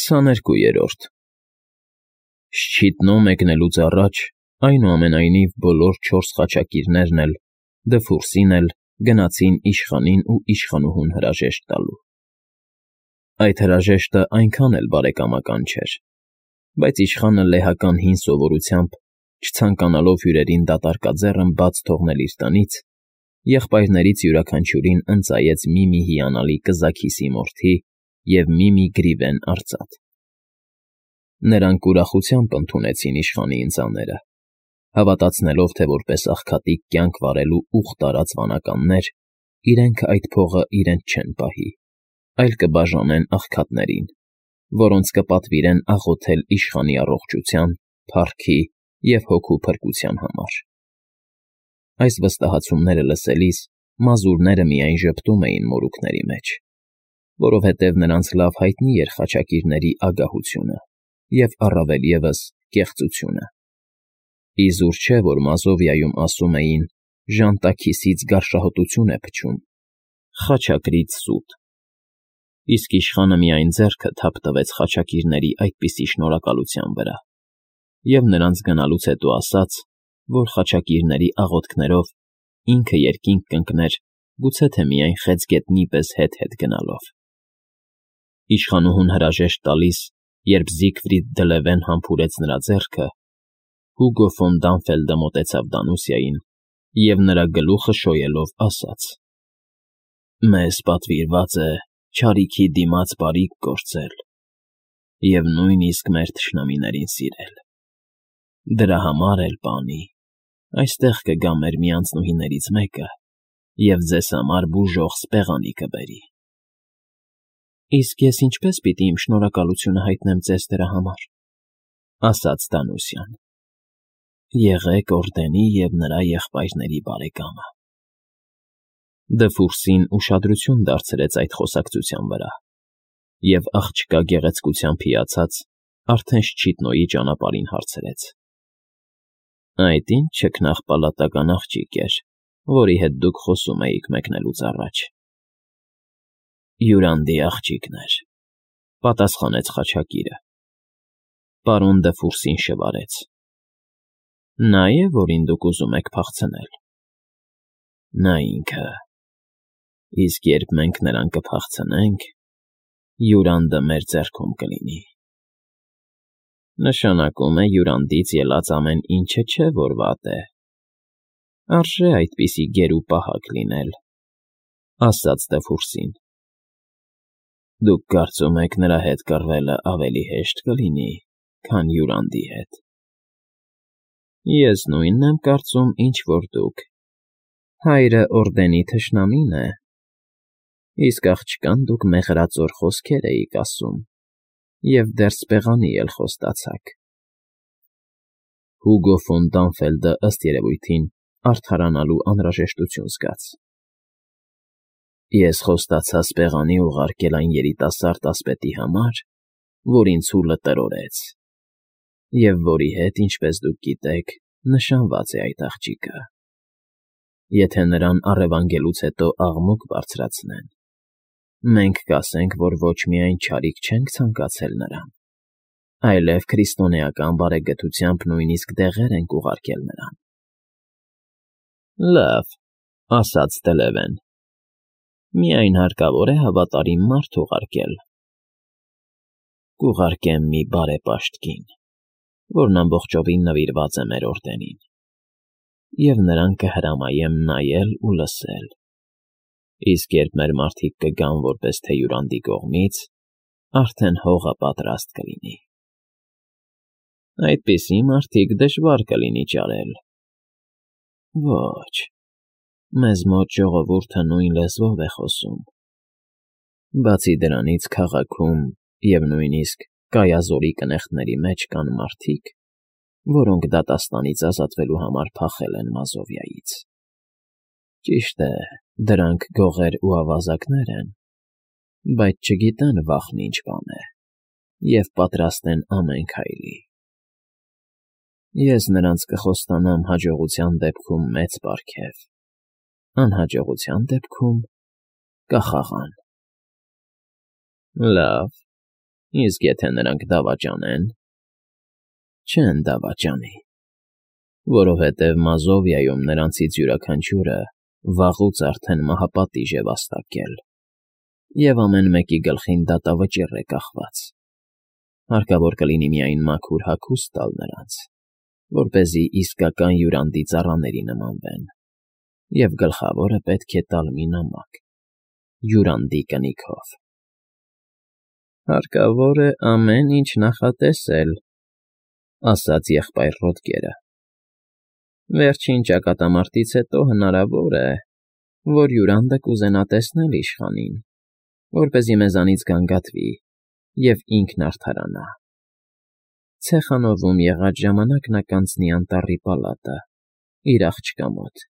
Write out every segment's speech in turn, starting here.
22-րդ Շչիտնո մեկնելուց առաջ, այնուամենայնիվ, բոլոր 4 խաչակիրներն էլ, Դֆուրսին էլ, գնացին իշխանին ու իշխանուհուն հրաժեշտ տալու։ Այդ հրաժեշտը այնքան էլ բարեկամական չէր, բայց իշխանը լեհական հին սովորությամբ, չցանկանալով հյուրերին դատարկաձեռն բաց թողնել իր տնից, եղբայրներից յուրաքանչյուրին ընծայեց մի հիանալի կզաքիսի մորթի և մի գրիվեն արծաթ։ Նրանք ուրախությամբ ընդունեցին իշխանի ընծաները, հավատացնելով, թե որպես աղքատիկ կյանք վարելու ուխ տարած վանականներ, իրենք այդ փողը իրենց չեն պահի, այլ կբաժանեն աղքատներին, որոնց կպատվիրեն աղոթել իշխանի առողջության, փառքի և հոգու փրկության համար։ Այս վստահացումները լսելիս մազուրները միայն ժպտում էին մորուքների մեջ, որովհետև նրանց լավ հայտնի էր խաչակիրների ագահությունը և առավել ևս կեղծությունը։ Իզուր չէ, որ Մազովիայում ասում էին. «Ժանտաքիսից գարշահոտություն է փչում, խաչակրից սուտ», իսկ իշխանը միայն ձեռքը թափ տվեց խաչակիրների այդպիսի շնորհակալության վրա և նրանց գնալուց հետո ասաց, որ խաչակիրների աղոթքներով ինքը երկինք կընկներ գուցե թե միայն խեցգետնի պես հետ գնալով։ Իշխանուհուն հրաժեշտ տալիս, երբ Զիգֆրիդ դե Լևեն համբուրեց նրա ձեռքը, Հուգո ֆոն Դանֆելդը մոտեցավ Դանուսիային և նրա գլուխը շոյելով ասաց. «Մեզ պատվիրված է չարիքի դիմաց բարիք գործել և նույնիսկ մեր թշնամիներին սիրել։ Դրա համար էլ, պանի, այստեղ կգա մեր մի անձնուհիներից մեկը և ձեզ համար բուժող սպեղանի կբերի»։ «Իսկ ես ինչպե՞ս պիտի իմ շնորհակալությունը հայտնեմ ձեզ դրա համար», ասաց Դանուսիան։ «Եղեք օրդենի և նրա եղբայրների բարեկամը»։ Դֆուրսին ուշադրություն դարձրեց այդ խոսակցության վրա և աղջկա գեղեցկությամբ հիացած, արդեն Շչիտնոյի ճանապարհին հարցրեց. «Այդ ի՞նչ չքնաղ աղջիկ էր, որի հետ դուք խոսում էիք մեկնելուց առաջ»։ «Յուրանդի աղջիկն էր», պատասխանեց խաչակիրը։ Պարոն Դֆուրսին շվարեց. «Նա է, որին դուք ուզում եք փախցնել»։ «Նա ինքը։ Իսկ երբ մենք նրան կփախցնենք, Յուրանդը մեր ձեռքում կլինի»։ «Նշանակում է Յուրանդից ելած ամեն ինչը չէ, որ վատ է։ Արժե այդպիսի գեր ու պահակ լինել», ասաց Դֆուրսին։ «Դուք կարծում եք նրա հետ կռվելը ավելի հեշտ կլինի, քան Յուրանդի հետ»։ «Ես նույնն եմ կարծում, ինչ որ դուք։ Հայրը օրդենի թշնամին է, իսկ աղջկան դուք մեղրածոր խոսքեր էիք ասում և դեռ սպեղանի էլ խոստացաք»։ Հուգո ֆոն Դանֆելդը, ըստ երևույթին, արդարանալու անհրաժեշտություն զգաց։ «Ես խոստացա սպեղանի ուղարկել այն երիտասարդ ասպետի համար, որ ինձ հուլը տրորեց, և որի հետ, ինչպես դուք գիտեք, նշանված է այդ աղջիկը։ Եթե նրան առևանգելուց հետո աղմուկ բարձրացնեն, մենք կասենք, որ ոչ միայն չարիք չենք ցանկացել նրան, այլև քրիստոնեական բարեգթությամբ նույնիսկ դեղեր ենք ուղարկել նրան»։ «Լավ», ասաց դե Լևեն, «միայն հարկավոր է հավատարիմ մարդ ուղարկել»։ «Կուղարկեմ մի բարեպաշտ կին, որն ամբողջովին նվիրված է մեր օրդենին, և նրան կհրամայեմ նայել ու լսել, իսկ երբ մեր մարդիկ կգան որպես թե Յուրանդի կողմից, արդեն հողը պատրաստ կլինի»։ «Այդպիսի մարդիկ դժվար կլինի ճարել»։ «Ոչ, մեզ մոտ ժողովուրդը նույն լեզվով է խոսում։ Բացի դրանից քաղաքում և նույնիսկ Կայազորի կնեխտների մեջ կան մարդիկ, որոնք դատաստանից ազատվելու համար փախել են Մազովիայից։ Ճիշտ է, դրանք գողեր ու ավազակներ են, բայց չգիտեն վախն ինչ բան է և պատրաստ են ամեն քայլի։ Ես նրանց կխոստանամ հաջողության դեպքում մեծ պարգև, անհաջողության դեպքում կախաղան»։ «Լավ, Իսկ եթե նրանք դավաճանեն… Չեն դավաճանի, որովհետև Մազովիայում նրանցից յուրաքանչյուրը վաղուց արդեն մահապատիժ է վաստակել, և ամեն մեկի գլխին դատավճիռ է կախված. հարկավոր կլինի միայն մաքուր հագուստ տալ նրանց, որպեսզի իսկական հյուրանդի ծառաների նմանվեն, և գլխավորը պետք է տալ մի նամակ, հյուրանդի կնիքով։ Հարկավոր է ամեն ինչ նախատեսել, ասաց եղբայր Ռոդգերը։ Վերջին ճակատամարտից հետո հնարավոր է, որ հյուրանդը կուզենա տեսնել իշխանին, որպեսզի մեզանից գանգատվի և ինքն արդարանա։ Ցեխանովում եղած ժամանակ նա կանցնի անտառի պալատը, իր աղջկա մոտ։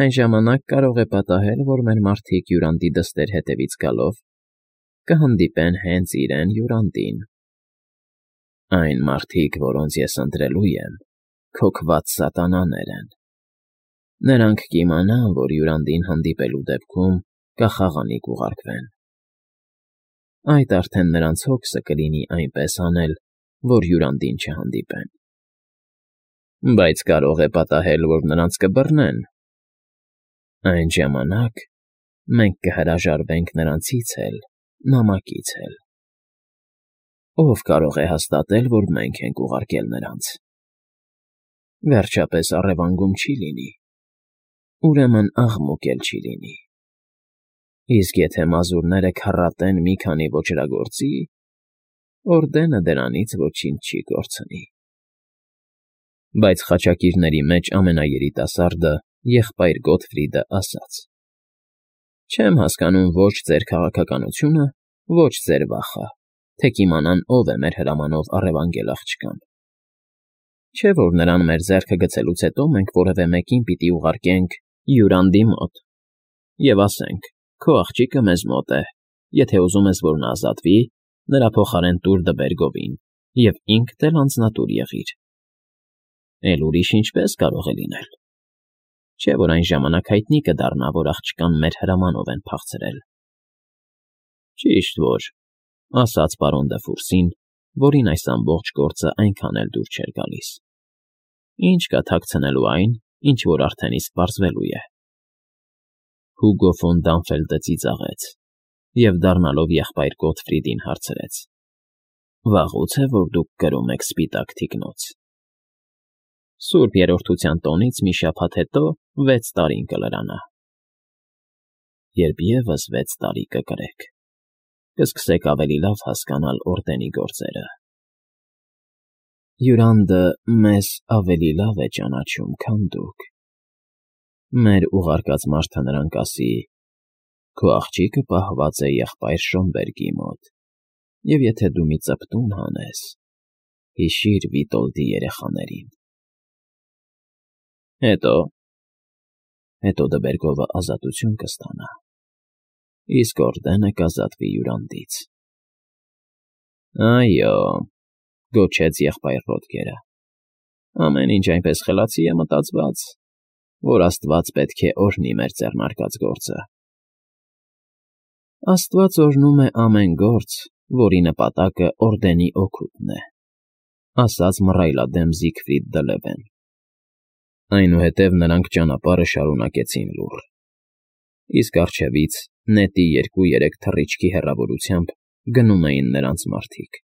Այն ժամանակ կարող է պատահել, որ մեր մարդիկ հյուրանդի դստեր հետևից գալով կհանդիպեն հենց իրեն հյուրանդին։ Այն մարդիկ, որոնց ես ընտրելու եմ, քոքված սատանաներ են։ Նրանք կիմանան, որ հյուրանդին հանդիպելու դեպքում կախաղանի կուղարկվեն։ Այդ արդեն նրանց հոգսը կլինի այնպես անել, որ հյուրանդին չհանդիպեն։ Բայց կարող է պատահել, որ նրանց կբռնեն։ Այն ժամանակ մենք կհրաժարվենք նրանցից էլ, նամակից էլ։ Ո՞վ կարող է հաստատել, որ մենք ենք ուղարկել նրանց։ Վերջապես առևանգում չի լինի, ուրեմն աղմուկ էլ չի լինի։ Իսկ եթե մազուրները քառատեն մի քանի ոճրագործի, օրդենը դրանից ոչինչ չի կորցնի։ Բայց խաչակիրների մեջ ամենաերիտասարդը, եղբայր Գոթֆրիդը, ասաց. Չեմ հասկանում ոչ ձեր քաղաքականությունը, ոչ ձեր վախը, թե կիմանան ով է մեր հրամանով առևանգել աղջկան։ Չէ՞ որ նրան մեր ձեռքը գցելուց հետո մենք որևէ մեկին պիտի ուղարկենք հյուրանդի մոտ և ասենք. քո աղջիկը մեզ մոտ է, եթե ուզում ես, որ նա ազատվի, նրա փոխարեն տուր դբեր գովին և ինքդ էլ անձնատուր եղիր։ Էլ ուրիշ ինչպես կարող է լինել։ Չէ՞ որ այն ժամանակ հայտնի կդառնա, որ աղջկան մեր հրամանով են փախցրել։ Ճիշտ որ, ասաց պարոն Դեֆուրսին, որին այս ամբողջ գործը այնքան էլ դուր չէր գալիս։ Ինչ կա թաքցնելու այն, ինչ որ արդեն իսկ պարզվելու է։ Հուգո ֆոն Դանֆելդը ծիծաղեց և, դառնալով եղբայր Գոթֆրիդին, հարցրեց. Վաղուց է, որ դուք կրում եք սպիտակ թիկնոց։ Սուրբ Երրորդության տոնից մի շաբաթ հետո 6 տարին կլրանա։ Երբ ևս 6 տարի կկրեք, կսկսեք ավելի լավ հասկանալ օրդենի գործերը։ Հյուրանդը մեզ ավելի լավ է ճանաչում, քան դուք։ Մեր ուղարկած մարդը նրան կասի. քո աղջիկը պահված է եղբայր Շոմբերգի մոտ, և եթե դու մի ծպտուն հանես, հիշիր Վիտոլդի երեխաներին։ Հետո Դբերգովը ազատություն կստանա, իսկ օրդենը կազատվի հյուրանդից։ Այո, գոչեց եղբայր Ռոդգերը, ամեն ինչ այնպես խելացի է մտածված, որ Աստված պետք է օրհնի մեր ձեռնարկած գործը։ Աստված օրհնում է ամեն գործ, որի նպատակը օրդենի օգուտն է, ասաց մռայլադեմ Զիգֆրիդ դը Լևեն։ Այնուհետև նրանք ճանապարհը շարունակեցին լուռ, իսկ առջևից նետի 2-3 թռիչքի հեռավորությամբ գնում էին նրանց մարդիկ,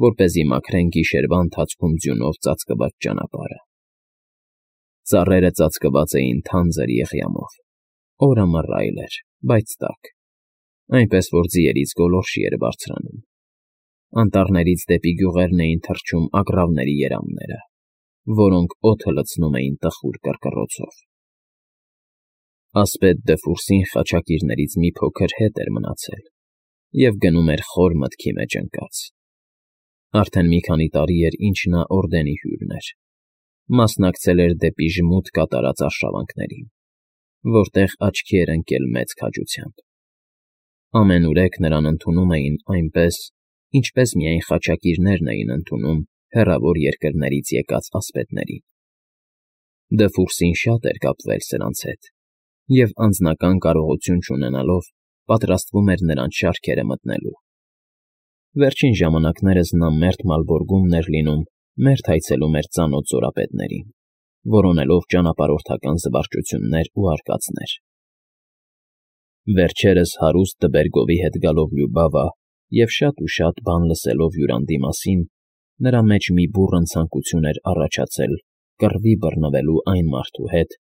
որպեսզի մաքրեն գիշերվա ընթացքում ձյունով ծածկված ճանապարհը։ Ծառերը ծածկված էին թանձր եղյամով, օրը մռայլ էր, բայց տաք, այնպես որ ձիերից գոլորշի էր բարձրանում։ Անտառներից դեպի գյուղերն էին թռչում ագռավների երամները, որոնք օդը լցնում էին տխուր կռկռոցով։ Ասպետ Դեֆուրսին խաչակիրներից մի փոքր հետ էր մնացել և գնում էր խոր մտքի մեջ ընկած։ Արդեն մի քանի տարի էր, ինչ նա օրդենի հյուրն էր, մասնակցել էր դեպի ժմուտ կատարած արշավանքներին, որտեղ աչքի էր ընկել մեծ քաջությամբ։ Ամենուրեք նրան ընդունում էին այնպես, ինչպես միայն խաչակիրներն էին ընդունում հեռավոր երկրներից եկած ասպետներին։ Դեֆուրսին շատ էր կապվել սրանց հետ և անձնական կարողություն չունենալով պատրաստվում էր նրանց շարքերը մտնելու։ Վերջին ժամանակներս նա մերթ Մալբորգումն էր լինում, մերթ այցելում էր ծանոթ զորապետներին, որոնելով ճանապարհորդական զվարճություններ ու արկածներ։ Վերջերս հարուստ Տբերգովի հետ գալով Լյուբավա և շատ ու շատ բան լսելով Յուրանդի մասին, նրա մեջ մի բուռն ցանկություն էր առաջացել կռվի բռնվելու այն մարդու հետ,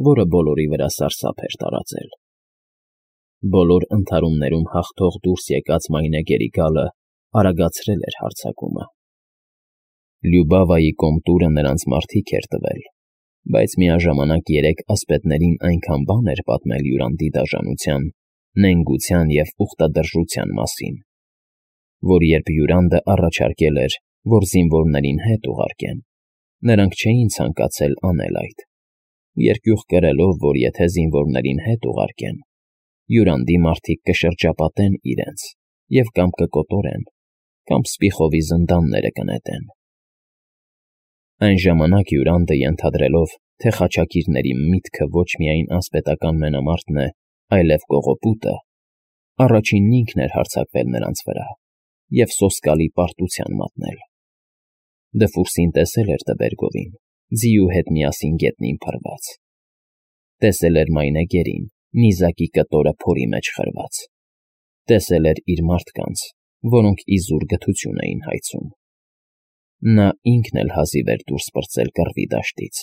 որը բոլորի վրա սարսափ էր տարածել։ Բոլոր ընդհարումներում հաղթող դուրս եկած մայնեգերի գալը արագացրել էր հարձակումը։ Լյուբավայի կոմտուրը նրանց մարդիկ էր տվել, բայց միաժամանակ երեք ասպետներին այնքան բան էր պատմել Յուրանդի դաժանության, նենգության և ուխտադրժության մասին, որ երբ Յուրանդը առաջարկել էր, որ զինվորներին հետ ուղարկեն, նրանք չէին ցանկացել անել այդ, երկյուղ կրելով, որ եթե զինվորներին հետ ուղարկեն, Յուրանդի մարդիկ կշրջապատեն իրենց և կամ կկոտորեն, կամ սպիխովի զնդանները կնետեն։ Այն ժամանակ Յուրանդը ենթադրելով, թե խաչակիրների միտքը ոչ միայն ասպետական մենամարտն է, այլև կողոպուտը, առաջինն ինքն էր հարձակվել նրանց վրա և սոսկալի պարտության մատնել։ Դֆուրսին տեսել էր Տբերգովին, ձիու հետ միասին գետնին փռված։ Տեսել էր մայնեգերին, նիզակի կտորը փորի մեջ խրված։ Տեսել էր իր մարդկանց, որոնք իզուր գթություն էին հայցում։ Նա ինքն էլ հազիվ էր դուրս պրծել կռվի դաշտից։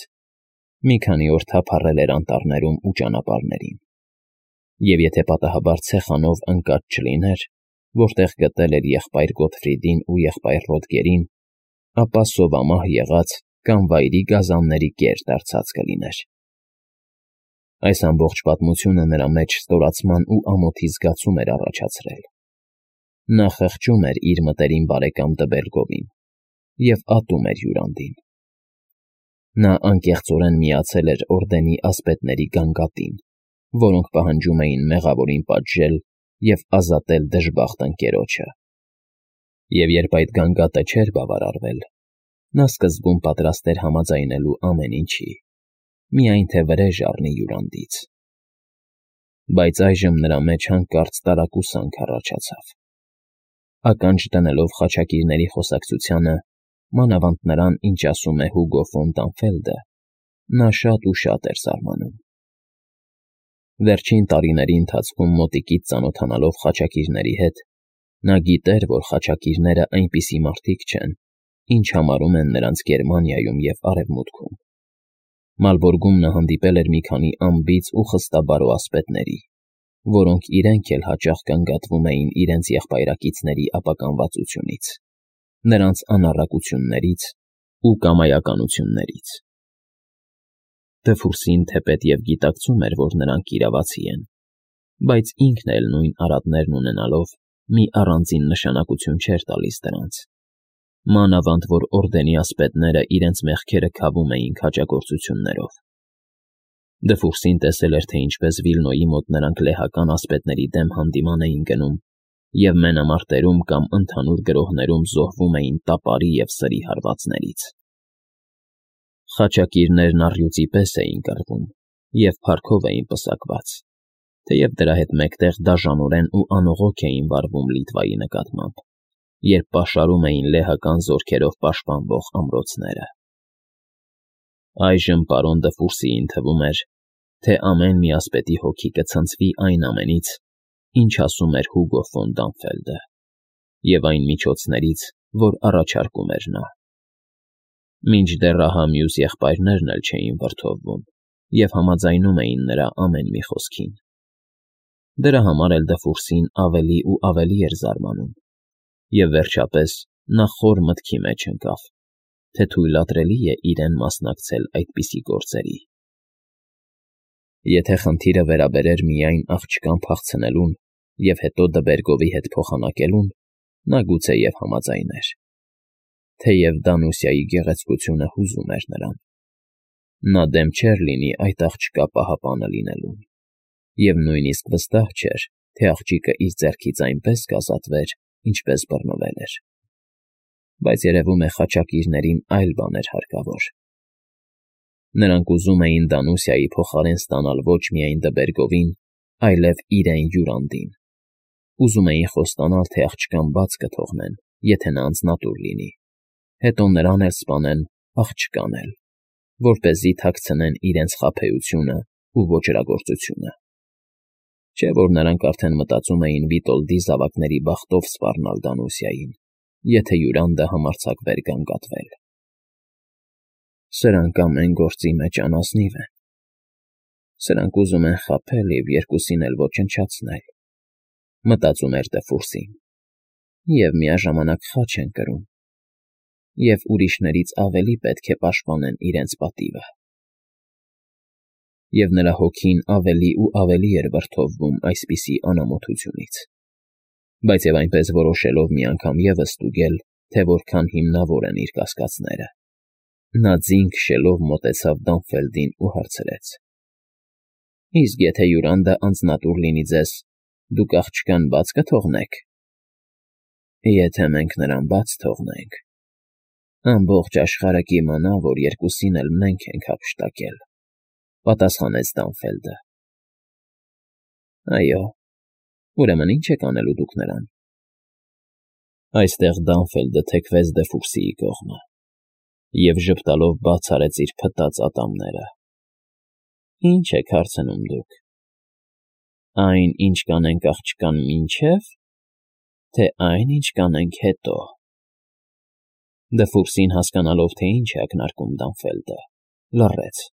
Մի քանի օր թափառել էր անտառներում ու ճանապարհներին։ Եվ եթե պատահաբար ցեխանով ընկած չլիներ, որտեղ գտել էր եղբայր Գոթֆրիդին ու եղբայր Ռոդգերին, ապա սովամահ եղած կամ վայրի գազանների կեր դարձած կլիներ։ Այս ամբողջ պատմությունը նրա մեջ ստորացման ու ամոթի զգացում էր առաջացրել։ Նա խղճում էր իր մտերիմ բարեկամ Տբերգովին և ատում էր Յուրանդին։ Նա անկեղծորեն միացել էր օրդենի ասպետների գանգատին, որոնք պահանջում էին մեղավորին պատժել և ազատել դժբախտ ընկերոջը։ Եվ երբ այդ գանգատը չէր բավարարվել, նա սկզբում պատրաստ էր համաձայնելու ամեն ինչի, միայն թե վրեժ առնի Յուրանդից։ Բայց այժմ նրա մեջ հանկարծ տարակուսանք առաջացավ։ Ականջ դնելով խաչակիրների խոսակցությանը, մանավանդ նրան, ինչ ասում է Հուգո ֆոն Տանֆելդը, նա շատ ու շատ էր զարմանում։ Վերջին տարիների ընթացքում մոտիկից ծանոթանալով խաչակիրների հետ, նա գիտեր, որ խաչակիրները այնպիսի մարդիկ չեն, ինչ համարում են նրանց Գերմանիայում և Արևմուտքում։ Մալբորգում նա հանդիպել էր մի քանի անբիծ ու խստաբարո ասպետների, որոնք իրենք էլ հաճախ գանգատվում էին իրենց եղբայրակիցների ապականվածությունից, նրանց անառակություններից ու կամայականություններից։ Դֆուրսին թեպետ և գիտակցում էր, որ նրանք իրավացի են, բայց ինքն էլ նույն արատներն ունենալով մի առանձին նշանակություն չէր տալիս դրանց, մանավանդ որ օրդենի ասպետները իրենց մեղքերը քավում էին քաջագործություններով։ Դֆուրսին տեսել էր, թե ինչպես Վիլնոյի մոտ նրանք լեհական ասպետների դեմ հանդիման էին գնում և մենամարտերում կամ ընդհանուր գրոհներում զոհվում էին տապարի և սրի հարվածներից։ Խաչակիրներն առյուծի պես էին կռվում և փառքով էին պսակված, թեև դրա հետ մեկտեղ դաժանորեն ու անողոք էին վարվում Լիտվայի նկատմամբ, երբ պաշարում էին լեհական զորքերով պաշտպանվող ամրոցները։ Այժմ պարոն Դֆուրսիին թվում էր, թե ամեն մի ասպետի հոգի կցնցվի այն ամենից, ինչ ասում էր Հուգո ֆոն Դանֆելդը, և այն միջոցներից, որ առաջարկում էր նա։ Մինչդեռ ահա մյուս եղբայրներն էլ չէին վրդովվում և համաձայնում էին նրա ամեն մի խոսքին։ Դրա համար էլ Դֆուրսին ավելի ու ավելի էր զարմանում, և վերջապես նա խոր մտքի մեջ ընկավ, թե թույլատրելի է իրեն մասնակցել այդպիսի գործերի։ Եթե խնդիրը վերաբերեր միայն աղջկան փախցնելուն և հետո Տբերգովի հետ փոխանակելուն, նա գուցեև համաձայներ, թեև Դանուսիայի գեղեցկությունը հուզում էր նրան։ Նա դեմ չէր լինի այդ աղջկա պահապանը լինելուն, և նույնիսկ վստահ չէր, թե աղջիկը իր ձեռքից այնպես կազատվեր, ինչպես բռնվել էր։ Բայց երևում է խաչակիրներին այլ բան էր հարկավոր։ Նրանք ուզում էին Դանուսիայի փոխարեն ստանալ ոչ միայն Տբերգովին, այլև իրեն Յուրանդին, Ուզում էին խոստանալ, թե աղջկան բաց կթողնեն, եթե նա անձնատուր լինի, հետո նրան էլ սպանեն, աղջկան էլ, որպեսզի թաքցնեն իրենց խաբեությունն ու ոճրագործությունը։ Չէ՞ որ նրանք արդեն մտածում էին Վիտոլդի զավակների բախտով սպառնալ Դանուսիային, եթե Յուրանդը համարձակվեր գանգատվել։ Սրանք ամեն գործի մեջ անազնիվ են։ Սրանք ուզում են խաբել և երկուսին էլ ոչնչացնել, մտածում էր Դեֆուրսին, և միաժամանակ խաչ են կրում, և ուրիշներից ավելի պետք է պաշտպանեն իրենց պատիվը։ Եվ նրա հոգին ավելի ու ավելի էր վրդովվում այսպիսի անամոթությունից, բայց և այնպես որոշելով մի անգամ ևս ստուգել, թե որքան հիմնավոր են իր կասկածները, նա ձին քշելով մոտեցավ Դանֆելդին ու հարցրեց. «Իսկ եթե Յուրանդը անձնատուր լինի ձեզ, դուք աղջկան բաց կթողնե՞ք»։ «Եթե մենք նրան բաց թողնենք, ամբողջ աշխարհը կիմանա, որ երկուսին էլ մենք ենք հափշտակել», պատասխանեց Դանֆելդը։ «Այո, ուրեմն ի՞նչ եք անելու դուք նրան»։ Այստեղ Դանֆելդը թեքվեց Դեֆուրսիի կողմը և ժպտալով բաց արեց իր փտած ատամները։ «Ի՞նչ եք հարցնում դուք. այն, ինչ կանենք աղջկան մինչև, թե այն, ինչ կանենք հետո»։ Դֆուրսին, հասկանալով, թե ինչ է ակնարկում Դանֆելդը, լռեց։